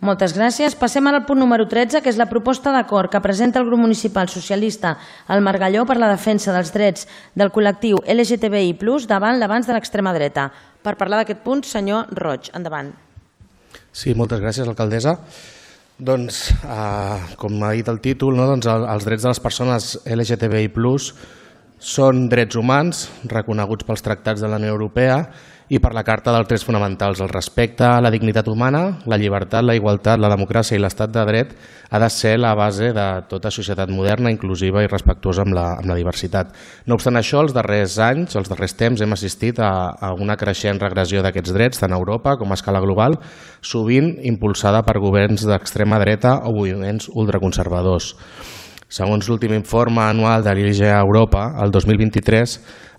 Moltes gràcies. Passem ara al punt número 13, que és la proposta d'acord que presenta el grup municipal socialista al Margalló per la defensa dels drets del col·lectiu LGTBI+, davant l'avanç de l'extrema dreta. Per parlar d'aquest punt, senyor Roig, endavant. Sí, moltes gràcies, alcaldessa. Doncs, com ha dit el títol, els drets de les persones LGTBI+, són drets humans reconeguts pels tractats de la Unió Europea i per la Carta dels Drets Fonamentals. El respecte a la dignitat humana, la llibertat, la igualtat, la democràcia i l'estat de dret ha de ser la base de tota societat moderna, inclusiva i respectuosa amb la diversitat. No obstant això, els darrers anys, els darrers temps, hem assistit a una creixent regressió d'aquests drets, tant a Europa com a escala global, sovint impulsada per governs d'extrema dreta o moviments ultraconservadors. Segons l'últim informe anual de l'IGEA Europa, el 2023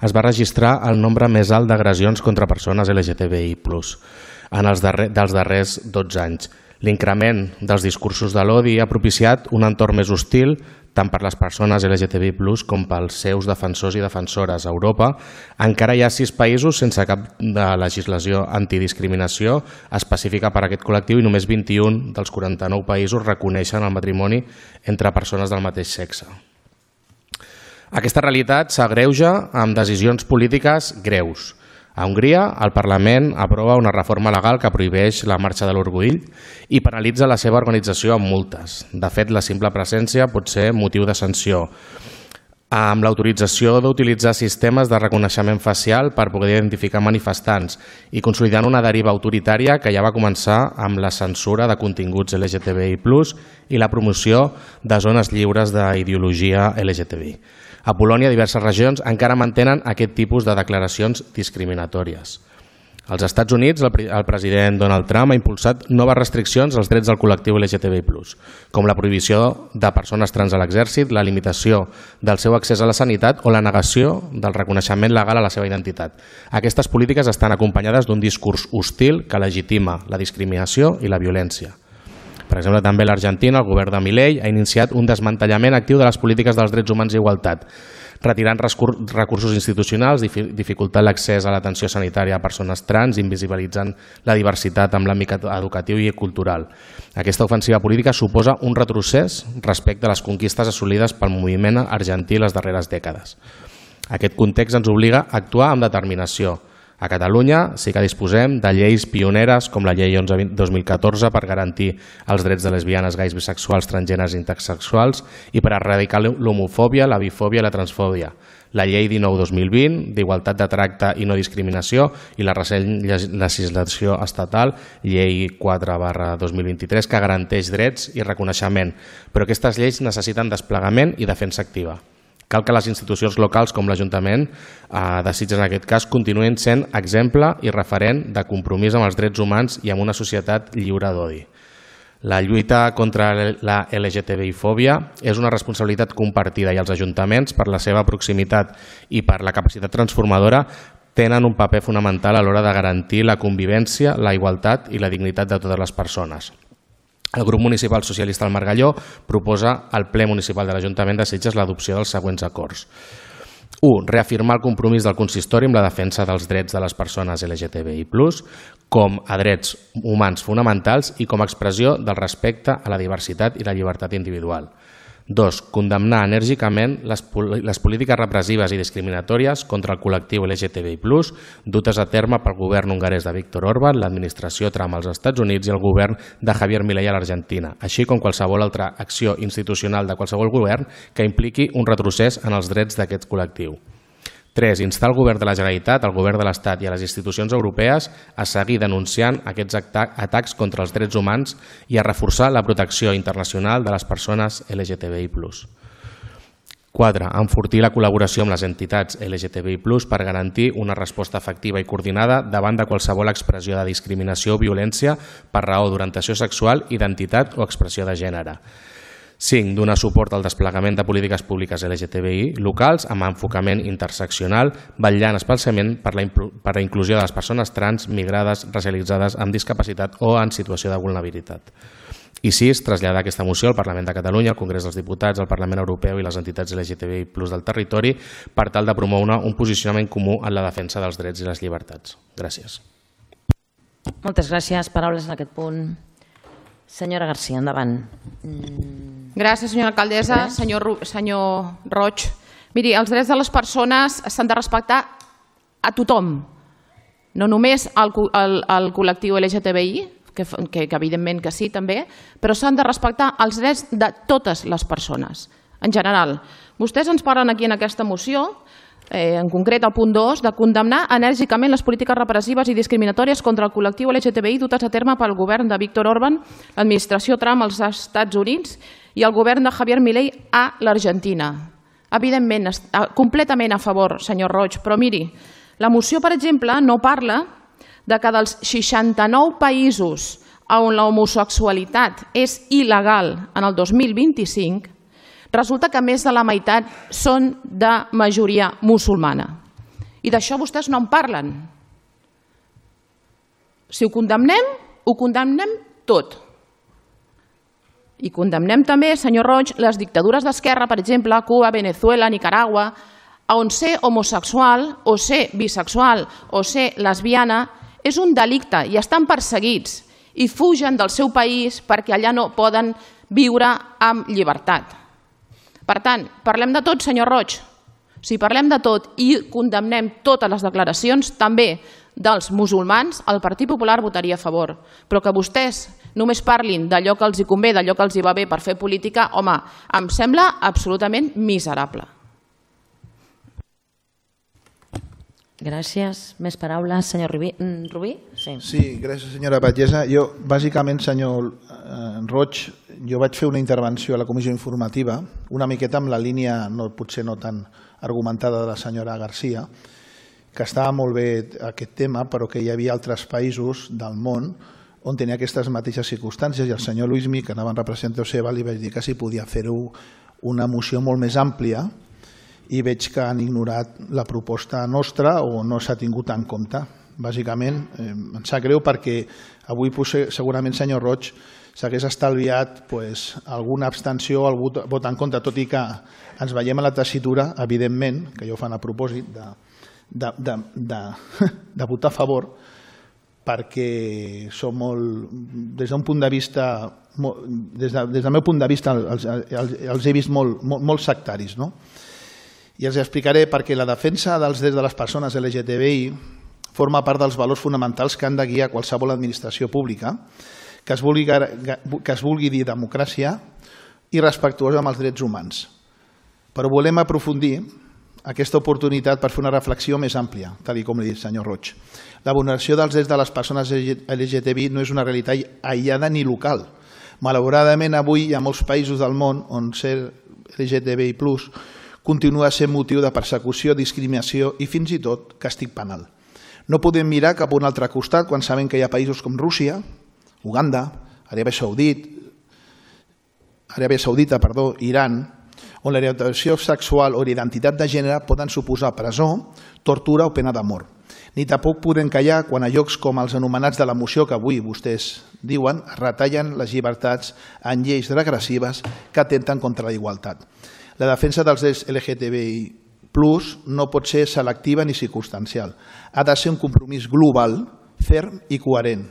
es va registrar el nombre més alt d'agressions contra persones LGTBI+, dels darrers 12 anys. L'increment dels discursos de l'odi ha propiciat un entorn més hostil tant per les persones LGTBI+, com pels seus defensors i defensores. A Europa encara hi ha 6 països sense cap de legislació antidiscriminació específica per a aquest col·lectiu i només 21 dels 49 països reconeixen el matrimoni entre persones del mateix sexe. Aquesta realitat s'agreuja amb decisions polítiques greus. A Hongria, el Parlament aprova una reforma legal que prohibeix la marxa de l'orgull i penalitza la seva organització amb multes. De fet, la simple presència pot ser motiu de sanció, amb l'autorització d'utilitzar sistemes de reconeixement facial per poder identificar manifestants i consolidant una deriva autoritària que ja va començar amb la censura de continguts LGTBI+, i la promoció de zones lliures d'ideologia LGTBI. A Polònia, diverses regions encara mantenen aquest tipus de declaracions discriminatòries. Als Estats Units, el president Donald Trump ha impulsat noves restriccions als drets del col·lectiu LGTBI+, com la prohibició de persones trans a l'exèrcit, la limitació del seu accés a la sanitat o la negació del reconeixement legal a la seva identitat. Aquestes polítiques estan acompanyades d'un discurs hostil que legitima la discriminació i la violència. Per exemple, també a l'Argentina, el govern de Milei ha iniciat un desmantellament actiu de les polítiques dels drets humans i igualtat, retirant recursos institucionals, dificultant l'accés a l'atenció sanitària a persones trans, invisibilitzant la diversitat en l'àmbit educatiu i cultural. Aquesta ofensiva política suposa un retrocés respecte a les conquistes assolides pel moviment argentí les darreres dècades. Aquest context ens obliga a actuar amb determinació. A Catalunya sí que disposem de lleis pioneres com la llei 11/2014 per garantir els drets de lesbianes, gais, bisexuals, transgèneres i intersexuals i per erradicar l'homofòbia, la bifòbia i la transfòbia. La llei 19/2020 d'igualtat de tracte i no discriminació i la recent legislació estatal, llei 4/2023, que garanteix drets i reconeixement. Però aquestes lleis necessiten desplegament i defensa activa. Cal que les institucions locals com l'Ajuntament de Sitges en aquest cas continuïn sent exemple i referent de compromís amb els drets humans i amb una societat lliure d'odi. La lluita contra la LGTBI-fòbia és una responsabilitat compartida i els ajuntaments, per la seva proximitat i per la capacitat transformadora, tenen un paper fonamental a l'hora de garantir la convivència, la igualtat i la dignitat de totes les persones. El grup municipal socialista del Margalló proposa al ple municipal de l'Ajuntament de Sitges l'adopció dels següents acords. 1. Reafirmar el compromís del consistori amb la defensa dels drets de les persones LGTBI+, com a drets humans fonamentals i com a expressió del respecte a la diversitat i la llibertat individual. 2. Condemnar enèrgicament les polítiques repressives i discriminatòries contra el col·lectiu LGTBI+, dutes a terme pel govern hongarès de Viktor Orbán, l'administració Trump als Estats Units i el govern de Javier Milei a l'Argentina, així com qualsevol altra acció institucional de qualsevol govern que impliqui un retrocés en els drets d'aquest col·lectiu. 3. Instar el govern de la Generalitat, el govern de l'Estat i a les institucions europees a seguir denunciant aquests atacs contra els drets humans i a reforçar la protecció internacional de les persones LGTBI+. 4. Enfortir la col·laboració amb les entitats LGTBI+, per garantir una resposta efectiva i coordinada davant de qualsevol expressió de discriminació o violència per raó d'orientació sexual, identitat o expressió de gènere. 5. Donar suport al desplegament de polítiques públiques LGTBI locals amb enfocament interseccional, vetllant especialment per la inclusió de les persones trans, migrades, racialitzades, amb discapacitat o en situació de vulnerabilitat. I 6. Traslladar aquesta moció al Parlament de Catalunya, al Congrés dels Diputats, al Parlament Europeu i les entitats LGTBI+ del territori per tal de promoure un posicionament comú en la defensa dels drets i les llibertats. Gràcies. Moltes gràcies. Paraules en aquest punt. Senyora Garcia, endavant. Gràcies, senyora alcaldessa. Senyor Roig, miri, els drets de les persones s'han de respectar a tothom, no només al col·lectiu LGTBI, que evidentment que sí també, però s'han de respectar els drets de totes les persones, en general. Vostès ens parlen aquí en aquesta moció, en concret al punt 2, de condemnar enèrgicament les polítiques repressives i discriminatòries contra el col·lectiu LGTBI dutes a terme pel govern de Víctor Orbán, l'administració Trump als Estats Units i el govern de Javier Milei a l'Argentina. Evidentment, completament a favor, senyor Roig, però miri, la moció, per exemple, no parla de que dels 69 països on l'homosexualitat és il·legal en el 2025, resulta que més de la meitat són de majoria musulmana. I d'això vostès no en parlen. Si ho condemnem tot. I condemnem també, senyor Roig, les dictadures d'esquerra, per exemple, Cuba, Venezuela, Nicaragua, on ser homosexual o ser bisexual o ser lesbiana és un delicte i estan perseguits i fugen del seu país perquè allà no poden viure amb llibertat. Per tant, parlem de tot, senyor Roig. Si parlem de tot i condemnem totes les declaracions, també dels musulmans, el Partit Popular votaria a favor. Però que vostès només parlin d'allò que els hi convé, d'allò que els hi va bé per fer política, home, em sembla absolutament miserable. Gràcies. Més paraules, senyor Rubí? Sí, gràcies, senyora Batllessa. Jo, bàsicament, senyor Roig, jo vaig fer una intervenció a la comissió informativa, una miqueta amb la línia, potser no tan argumentada, de la senyora Garcia, que estava molt bé aquest tema, però que hi havia altres països del món on tenia aquestes mateixes circumstàncies, i el senyor Luismi, que anava en representació seva, li vaig dir que si podia fer-ho una moció molt més àmplia, i veig que han ignorat la proposta nostra o no s'ha tingut en compte. Bàsicament, em sap greu perquè avui segurament, senyor Roig, s'hagués estalviat alguna abstenció o algun vot en contra, tot i que ens veiem a la tessitura, evidentment, que ja ho fan a propòsit, de votar a favor, perquè som molt, des d'un punt de vista, des del meu punt de vista, els he vist molt sectaris, no? I els explicaré perquè la defensa dels drets de les persones LGTBI forma part dels valors fonamentals que han de guiar qualsevol administració pública que es vulgui dir democràcia i respectuosa amb els drets humans. Però volem aprofundir aquesta oportunitat per fer una reflexió més àmplia, tal com li he dit, senyor Roig. La vulneració dels drets de les persones LGTBI no és una realitat aïllada ni local. Malauradament, avui hi ha molts països del món on ser LGTBI+ continua sent motiu de persecució, discriminació i fins i tot càstig penal. No podem mirar cap a un altre costat quan sabem que hi ha països com Rússia, Uganda, Aràbia Saudita, Iran, on l'orientació sexual o l'identitat de gènere poden suposar presó, tortura o pena de mort. Ni tampoc podem callar quan a llocs com els anomenats de la moció que avui vostès diuen es retallen les llibertats en lleis regressives que atempten contra la igualtat. La defensa dels drets LGTBI+ no pot ser selectiva ni circumstancial. Ha de ser un compromís global, ferm i coherent.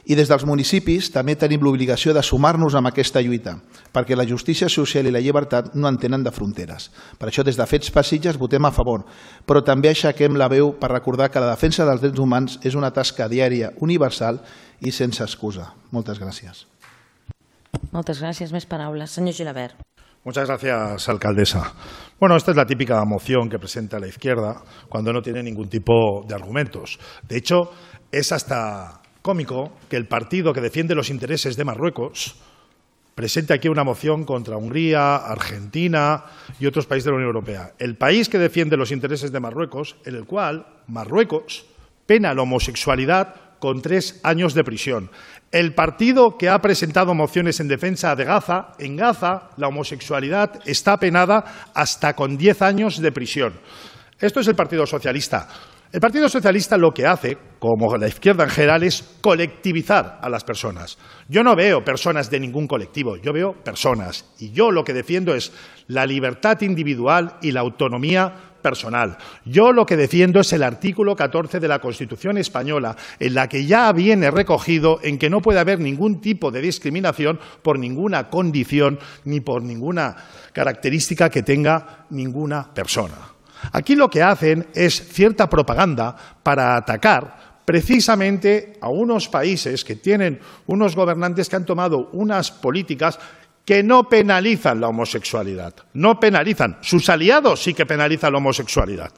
I des dels municipis també tenim l'obligació de sumar-nos amb aquesta lluita, perquè la justícia social i la llibertat no entenen de fronteres. Per això, des de Fets per Sitges votem a favor, però també aixequem la veu per recordar que la defensa dels drets humans és una tasca diària, universal i sense excusa. Moltes gràcies. Moltes gràcies. Més paraules. Senyor Gilabert. Muchas gracias, alcaldesa. Bueno, esta es la típica moción que presenta la izquierda cuando no tiene ningún tipo de argumentos. De hecho, es hasta cómico que el partido que defiende los intereses de Marruecos presente aquí una moción contra Hungría, Argentina y otros países de la Unión Europea. El país que defiende los intereses de Marruecos, en el cual Marruecos pena la homosexualidad con 3 años de prisión. El partido que ha presentado mociones en defensa de Gaza, en Gaza la homosexualidad está penada hasta con 10 años de prisión. Esto es el Partido Socialista. El Partido Socialista lo que hace, como la izquierda en general, es colectivizar a las personas. Yo no veo personas de ningún colectivo, yo veo personas. Y yo lo que defiendo es la libertad individual y la autonomía personal. Yo lo que defiendo es el artículo 14 de la Constitución española, en la que ya viene recogido en que no puede haber ningún tipo de discriminación por ninguna condición ni por ninguna característica que tenga ninguna persona. Aquí lo que hacen es cierta propaganda para atacar precisamente a unos países que tienen unos gobernantes que han tomado unas políticas que no penalizan la homosexualidad, no penalizan. Sus aliados sí que penalizan la homosexualidad.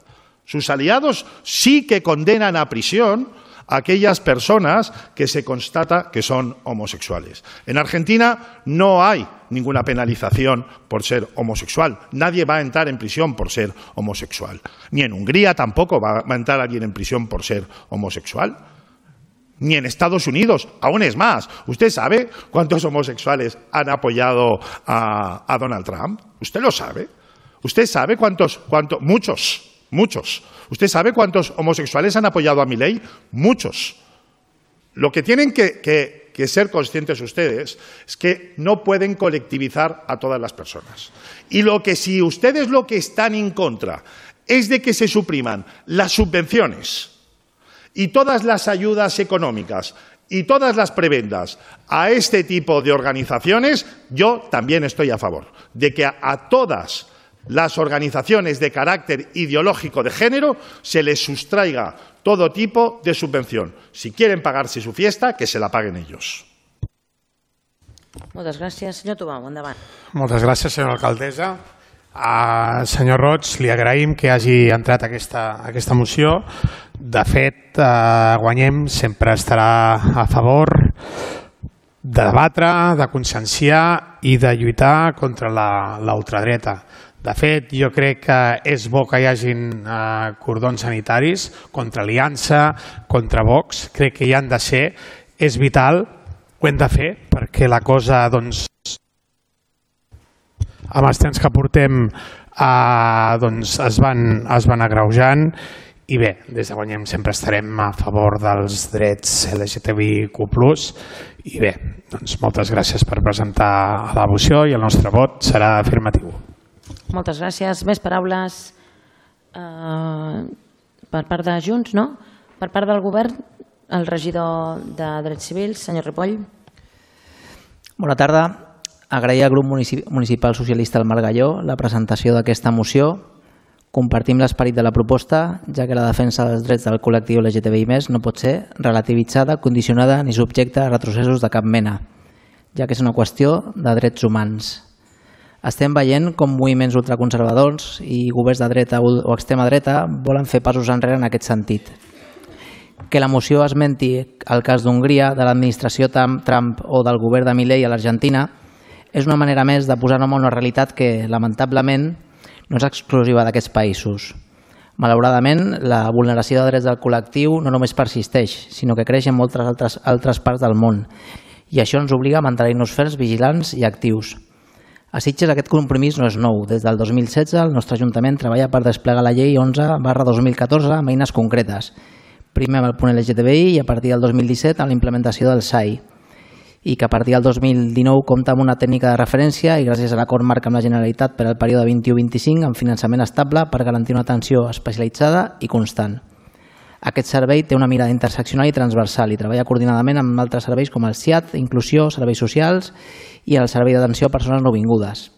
Sus aliados sí que condenan a prisión a aquellas personas que se constata que son homosexuales. En Argentina no hay ninguna penalización por ser homosexual. Nadie va a entrar en prisión por ser homosexual. Ni en Hungría tampoco va a entrar alguien en prisión por ser homosexual. Ni en Estados Unidos, aún es más. ¿Usted sabe cuántos homosexuales han apoyado a Donald Trump? ¿Usted lo sabe? ¿Usted sabe cuántos? Muchos. ¿Usted sabe cuántos homosexuales han apoyado a Milei? Muchos. Lo que tienen que ser conscientes ustedes es que no pueden colectivizar a todas las personas. Y si ustedes lo que están en contra es de que se supriman las subvenciones y todas las ayudas económicas y todas las prebendas a este tipo de organizaciones, yo también estoy a favor de que a todas las organizaciones de carácter ideológico de género se les sustraiga todo tipo de subvención. Si quieren pagarse su fiesta, que se la paguen ellos. Moltes gràcies. Senyor Tubau, endavant. Moltes gràcies, senyora alcaldessa. Senyor Roig, li agraïm que hagi entrat aquesta moció. De fet, Guanyem sempre estarà a favor de debatre, de conscienciar i de lluitar contra la ultradreta. De fet, jo crec que és bo que hi hagin cordons sanitaris contra Aliança, contra Vox. Crec que hi han de ser. És vital, ho hem de fer, perquè la cosa, doncs, amb els temps que portem, es van agreujant. I bé, des de Guanyem sempre estarem a favor dels drets LGTBIQ+. I bé, doncs moltes gràcies per presentar la moció i el nostre vot serà afirmatiu. Moltes gràcies. Més paraules per part de Junts, no? Per part del govern, el regidor de Drets Civils, senyor Ripoll. Bona tarda. Agrair al grup municipal socialista del Margalló la presentació d'aquesta moció. Compartim l'esperit de la proposta, ja que la defensa dels drets del col·lectiu LGTBI+ no pot ser relativitzada, condicionada ni subjecta a retrocessos de cap mena, ja que és una qüestió de drets humans. Estem veient com moviments ultraconservadors i governs de dreta o extrema dreta volen fer passos enrere en aquest sentit. Que la moció esmenti el cas d'Hongria, de l'administració Trump o del govern de Milei a l'Argentina és una manera més de posar nom a una realitat que, lamentablement, no és exclusiva d'aquests països. Malauradament, la vulneració de drets del col·lectiu no només persisteix, sinó que creix en moltes altres parts del món, i això ens obliga a mantenir-nos ferms, vigilants i actius. A Sitges aquest compromís no és nou. Des del 2016 el nostre Ajuntament treballa per desplegar la llei 11/2014 amb eines concretes. Primer amb el punt LGTBI i a partir del 2017 amb la implementació del SAI. I que a partir del 2019 compta amb una tècnica de referència i gràcies a l'acord marc amb la Generalitat per al període 21-25 amb finançament estable per garantir una atenció especialitzada i constant. Aquest servei té una mirada interseccional i transversal i treballa coordinadament amb altres serveis com el SIAT, Inclusió, Serveis Socials i el Servei d'Atenció a Persones Nouvingudes.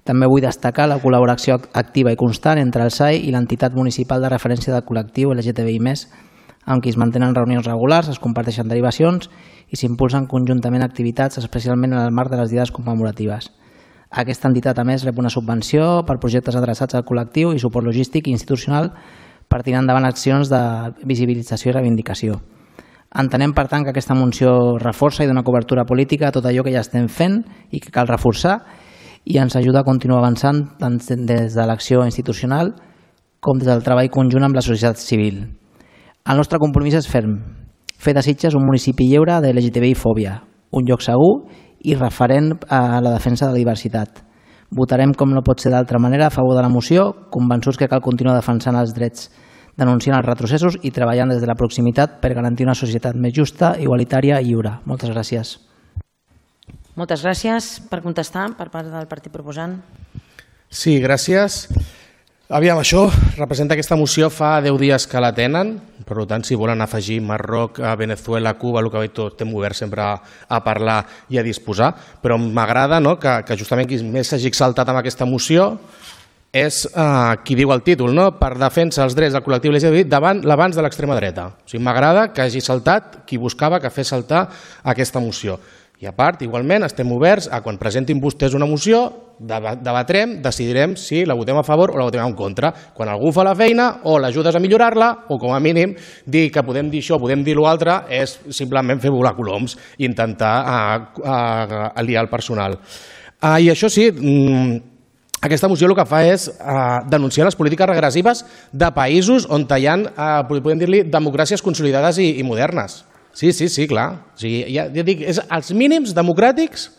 També vull destacar la col·laboració activa i constant entre el SAI i l'entitat municipal de referència del col·lectiu LGTBI+, amb qui es mantenen reunions regulars, es comparteixen derivacions i s'impulsen conjuntament activitats, especialment en el marc de les diades commemoratives. Aquesta entitat, a més, rep una subvenció per projectes adreçats al col·lectiu i suport logístic i institucional per tirar endavant accions de visibilització i reivindicació. Entenem, per tant, que aquesta moció reforça i dona cobertura política a tot allò que ja estem fent i que cal reforçar i ens ajuda a continuar avançant tant des de l'acció institucional com des del treball conjunt amb la societat civil. El nostre compromís és ferm, fer de Sitges un municipi lliure de LGTBI-fòbia, un lloc segur i referent a la defensa de la diversitat. Votarem, com no pot ser d'altra manera, a favor de la moció, convençuts que cal continuar defensant els drets denunciant els retrocessos i treballant des de la proximitat per garantir una societat més justa, igualitària i lliure. Moltes gràcies. Moltes gràcies. Per contestar, per part del partit proposant. Sí, gràcies. Aviam, això representa aquesta moció fa 10 dies que la tenen, per tant, si volen afegir Marroc, Venezuela, Cuba, el que veig, tot estem oberts sempre a parlar i a disposar, però m'agrada que justament qui més s'hagi exaltat amb aquesta moció és qui diu el títol, per defensa els drets del col·lectiu LGTBI davant l'abans de l'extrema dreta. O sigui, m'agrada que hagi saltat qui buscava que fes saltar aquesta moció. I a part, igualment, estem oberts a quan presentin vostès una moció, debatrem, decidirem si la votem a favor o la votem en contra. Quan algú fa la feina, o l'ajudes a millorar-la, o com a mínim dir que podem dir això, podem dir l'altre, és simplement fer volar coloms i intentar aliar el personal. I això sí, aquesta moció el que fa és denunciar les polítiques regressives de països on hi ha, podem dir-li, democràcies consolidades i modernes. Sí, clar. O sigui, ja dic, és els mínims democràtics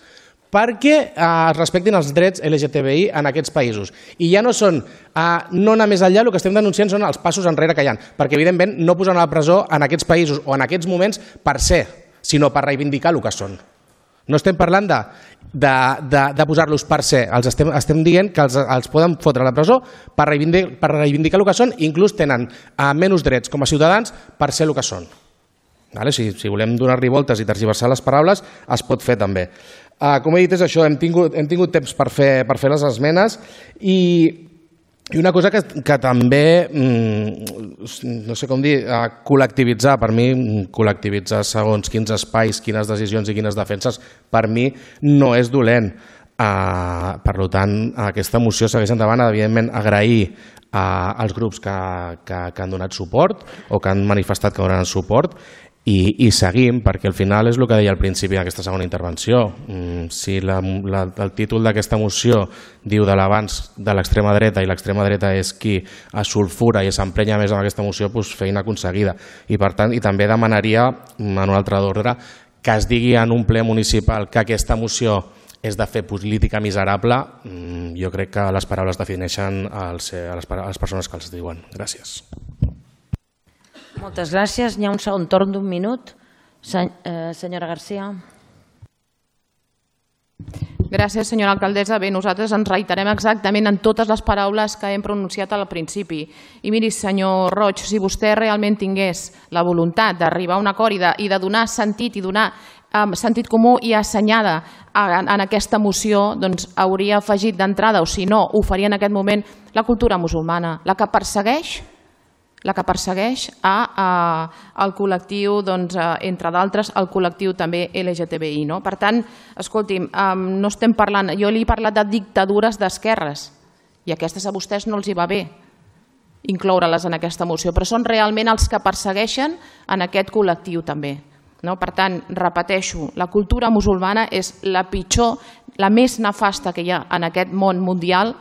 perquè es respectin els drets LGTBI en aquests països. I ja no són, no anar més enllà, el que estem denunciant són els passos enrere que hi ha, perquè evidentment no posen a la presó en aquests països o en aquests moments per ser, sinó per reivindicar el que són. No estem parlant de posar-los per ser, estem dient que els poden fotre a la presó per reivindicar el que són i inclús tenen menys drets com a ciutadans per ser el que són. Si volem donar-li voltes i tergiversar les paraules, es pot fer també. Com he dit, és això, hem tingut temps per fer les esmenes i una cosa que també, no sé com dir, col·lectivitzar, per mi, col·lectivitzar segons quins espais, quines decisions i quines defenses, per mi no és dolent. Per tant, aquesta moció segueix endavant, evidentment agrair als grups que han donat suport o que han manifestat que donaran suport i seguim, perquè al final és el que deia al principi d'aquesta segona intervenció. Si el títol d'aquesta moció diu de l'abans de l'extrema dreta i l'extrema dreta és qui es sulfura i s'emprenya més amb aquesta moció, doncs feina aconseguida. I per tant, i també demanaria, en un altre ordre, que es digui en un ple municipal que aquesta moció és de fer política miserable. Jo crec que les paraules defineixen les persones que els diuen. Gràcies. Moltes gràcies. Hi ha un segon torn d'un minut. Senyora Garcia. Gràcies, senyora alcaldessa. Bé, nosaltres ens reiterem exactament en totes les paraules que hem pronunciat al principi. I miri, senyor Roig, si vostè realment tingués la voluntat d'arribar a un acord i de donar sentit i donar sentit comú i assenyada en aquesta moció, doncs hauria afegit d'entrada, o si no, ho faria en aquest moment, la cultura musulmana, la que persegueix el col·lectiu, entre d'altres, el col·lectiu també LGTBI. Per tant, escolti'm, no estem parlant, jo li he parlat de dictadures d'esquerres i aquestes a vostès no els hi va bé incloure-les en aquesta moció, però són realment els que persegueixen en aquest col·lectiu també. Per tant, repeteixo, la cultura musulmana és la pitjor, la més nefasta que hi ha en aquest món mundial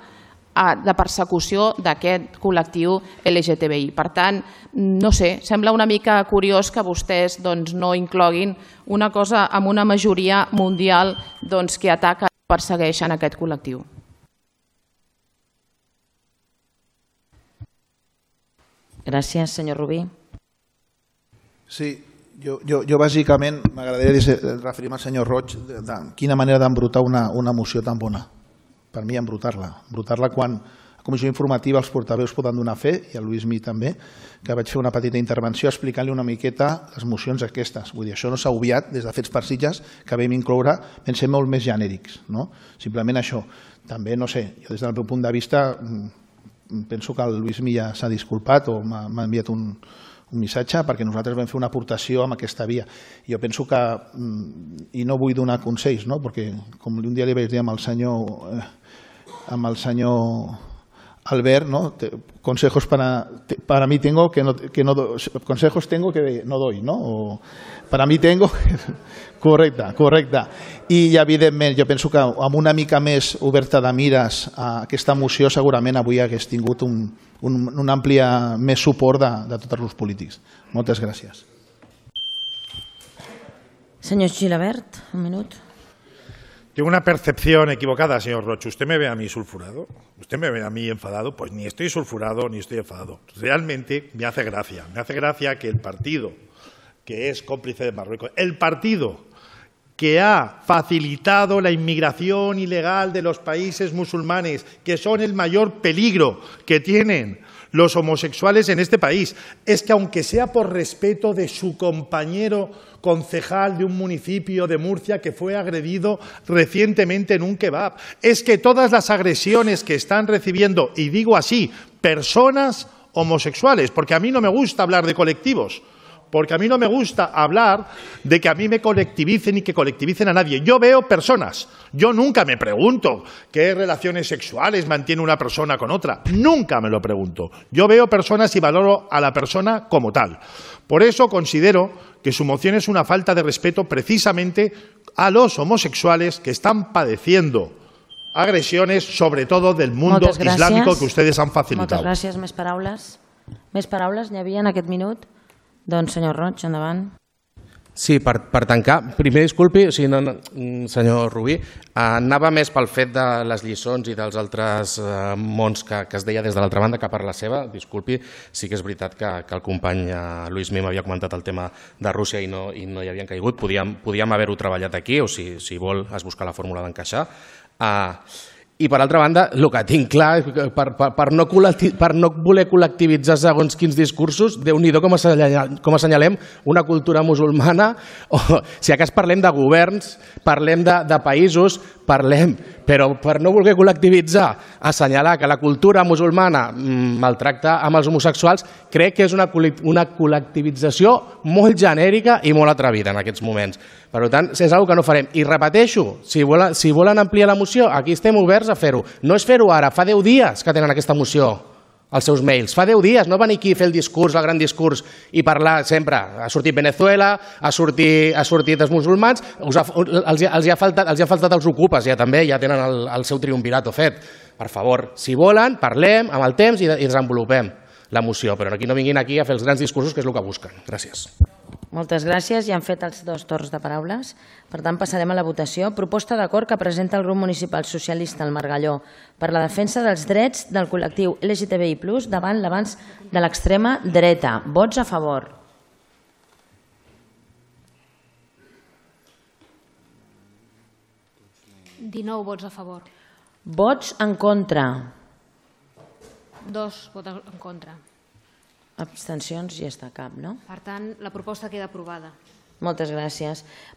de persecució d'aquest col·lectiu LGTBI. Per tant, no sé, sembla una mica curiós que vostès no incloguin una cosa amb una majoria mundial que ataca i persegueix en aquest col·lectiu. Gràcies, senyor Rubí. Sí, jo bàsicament m'agradaria referir-me al senyor Roig de quina manera d'embrutar una moció tan bona. Per mi, embrutar-la quan a comissió informativa els portaveus poden donar fe, i el Lluís Mi també, que vaig fer una petita intervenció explicant-li una miqueta les mocions aquestes. Vull dir, això no s'ha obviat des de Fets per Sitges, que vam incloure, vam ser molt més genèrics. Simplement això. També, no sé, jo des del meu punt de vista penso que el Lluís Mi ja s'ha disculpat o m'ha enviat un missatge perquè nosaltres vam fer una aportació amb aquesta via. Jo penso que, i no vull donar consells, perquè com un dia li vaig dir amb el senyor Albert, consejos para mí tengo que no consejos tengo que no doy, o para mí tengo, correcte. I evidentment jo penso que amb una mica més oberta de mires a aquesta moció segurament avui hagués tingut un ampli més suport de tots els grups polítics. Moltes gràcies. Senyor Gilabert, un minut. Tengo una percepción equivocada, señor Roch. ¿Usted me ve a mí sulfurado? ¿Usted me ve a mí enfadado? Pues ni estoy sulfurado ni estoy enfadado. Realmente me hace gracia que el partido que es cómplice de Marruecos, el partido que ha facilitado la inmigración ilegal de los países musulmanes, que son el mayor peligro que tienen los homosexuales en este país, es que aunque sea por respeto de su compañero concejal de un municipio de Murcia que fue agredido recientemente en un kebab, es que todas las agresiones que están recibiendo, y digo así, personas homosexuales, porque a mí no me gusta hablar de colectivos, porque a mí no me gusta hablar de que a mí me colectivicen y que colectivicen a nadie. Yo veo personas. Yo nunca me pregunto qué relaciones sexuales mantiene una persona con otra. Nunca me lo pregunto. Yo veo personas y valoro a la persona como tal. Por eso considero que su moción es una falta de respeto precisamente a los homosexuales que están padeciendo agresiones, sobre todo del mundo islàmico que ustedes han facilitado. Moltes gràcies. Més paraules? Més paraules n'hi havia en aquest minut? Doncs, senyor Roig, endavant. Sí, per tancar, primer disculpi, senyor Rubí, anava més pel fet de les lliçons i dels altres mons que es deia des de l'altra banda que per la seva, disculpi, sí que és veritat que el company Lluís Mim havia comentat el tema de Rússia i no hi havien caigut, podíem haver-ho treballat aquí o si vol es busca la fórmula d'encaixar. I per altra banda, el que tinc clar, per no voler col·lectivitzar segons quins discursos, Déu-n'hi-do com assenyalem una cultura musulmana, o si acas parlem de governs, parlem de països, parlem, però per no voler col·lectivitzar, assenyalar que la cultura musulmana maltracta amb els homosexuals, crec que és una col·lectivització molt genèrica i molt atrevida en aquests moments. Per tant, és una cosa que no farem. I repeteixo, si volen ampliar la moció, aquí estem oberts a fer-ho. No és fer-ho ara, fa 10 dies que tenen aquesta moció als seus mails. Fa 10 dies, no venir aquí a fer el discurs, el gran discurs, i parlar sempre. Ha sortit Venezuela, ha sortit els musulmans, els ha faltat els ocupes, ja també, ja tenen el seu triumvirato fet. Per favor, si volen, parlem amb el temps i desenvolupem la moció, però aquí no vinguin aquí a fer els grans discursos, que és el que busquen. Gràcies. Moltes gràcies. Ja han fet els 2 torns de paraules. Per tant, passarem a la votació. Proposta d'acord que presenta el grup municipal socialista al Margalló per la defensa dels drets del col·lectiu LGTBI+, davant l'avanç de l'extrema dreta. Vots a favor. ...19 vots a favor. Vots en contra. 2 vots en contra. Abstencions ja està cap, no? Per tant, la proposta queda aprovada. Moltes gràcies.